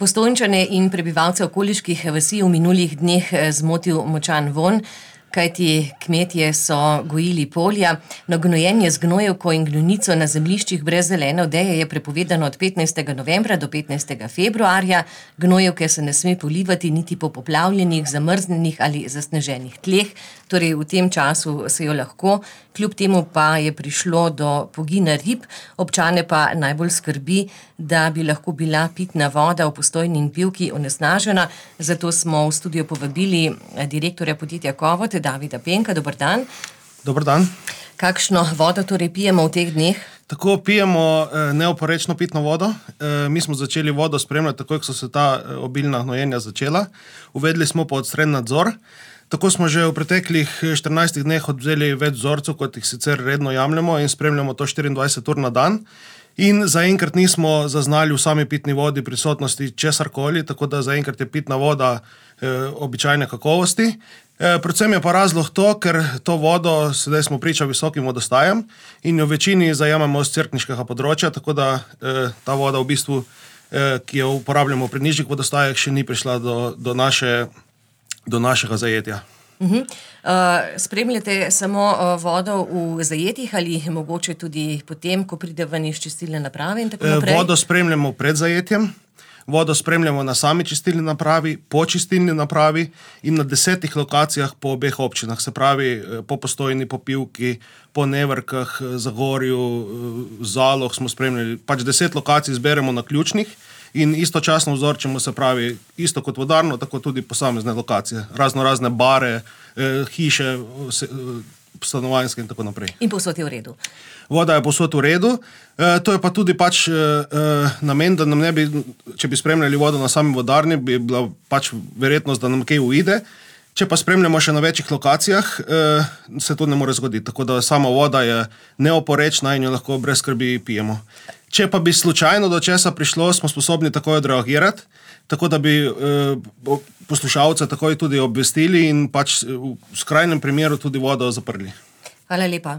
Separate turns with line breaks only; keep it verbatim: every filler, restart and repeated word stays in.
Postojnčane in prebivalce okoliških vasi v minulih dneh zmotil močan vonj, kajti kmetje so gojili polja. No, gnojenje z gnojevko in gnojnico na zemljiščih brez zelene odeje je prepovedano od petnajstega novembra do petnajstega februarja. Gnojevke se ne sme polivati niti po poplavljenih, zamrznenih ali zasneženih tleh, torej v tem času se jo lahko. Kljub temu pa je prišlo do pogina rib, občane pa najbolj skrbi, da bi lahko bila pitna voda v Postojni in Pivki onesnažena. Zato smo v studio povabili direktorja podjetja Kovot, Davida Penka. Dober dan.
Dober dan.
Kakšno vodo torej pijemo v teh dneh?
Tako pijemo neoporečno pitno vodo. Mi smo začeli vodo spremljati takoj, ko so se ta obilna gnojenja začela. Uvedli smo pa odstren nadzor. Tako smo že v preteklih štirinajstih dneh odvzeli več vzorcev, kot jih sicer redno jemljemo, in spremljamo to štiriindvajset ur na dan. In zaenkrat nismo zaznali v sami pitni vodi prisotnosti česarkoli, tako da zaenkrat je pitna voda e, običajne kakovosti. E, predvsem je pa razlog to, ker to vodo, sedaj smo priča visokim vodostajem in jo v večini zajemamo z cerkniškega področja, tako da e, ta voda v bistvu, e, ki jo uporabljamo pri nižjih vodostajah, še ni prišla do, do naše do našega zajetja.
Uh-huh. Uh, spremljate samo uh, vodo v zajetjih ali mogoče tudi potem, ko pride ven iz čistilne naprave in tako naprej?
Vodo spremljamo pred zajetjem, vodo spremljamo na sami čistilni napravi, po čistilni napravi in na desetih lokacijah po obeh občinah, se pravi po Postojni, po Pivki, po Nevrkah, Zagorju, Zaloh smo spremljali. Pač deset lokacij zberemo na ključnih in istočasno vzorčimo, se pravi, isto kot vodarno, tako tudi posamezne lokacije, razno razne bare, eh, hiše, se, eh, stanovanjske in tako naprej.
In povsod je v redu?
Voda je povsod v redu. Eh, to je pa tudi pač eh, namen, da nam ne bi, če bi spremljali vodo na sami vodarni, bi bila pač verjetnost, da nam kaj uide. Če pa spremljamo še na večjih lokacijah, eh, se to ne more zgoditi. Tako da sama voda je neoporečna in jo lahko brez skrbi pijemo. Če pa bi slučajno do česa prišlo, smo sposobni takoj odreagirati, tako da bi eh, poslušalce takoj tudi obvestili in pač v skrajnem primeru tudi vodo zaprli.
Hvala lepa.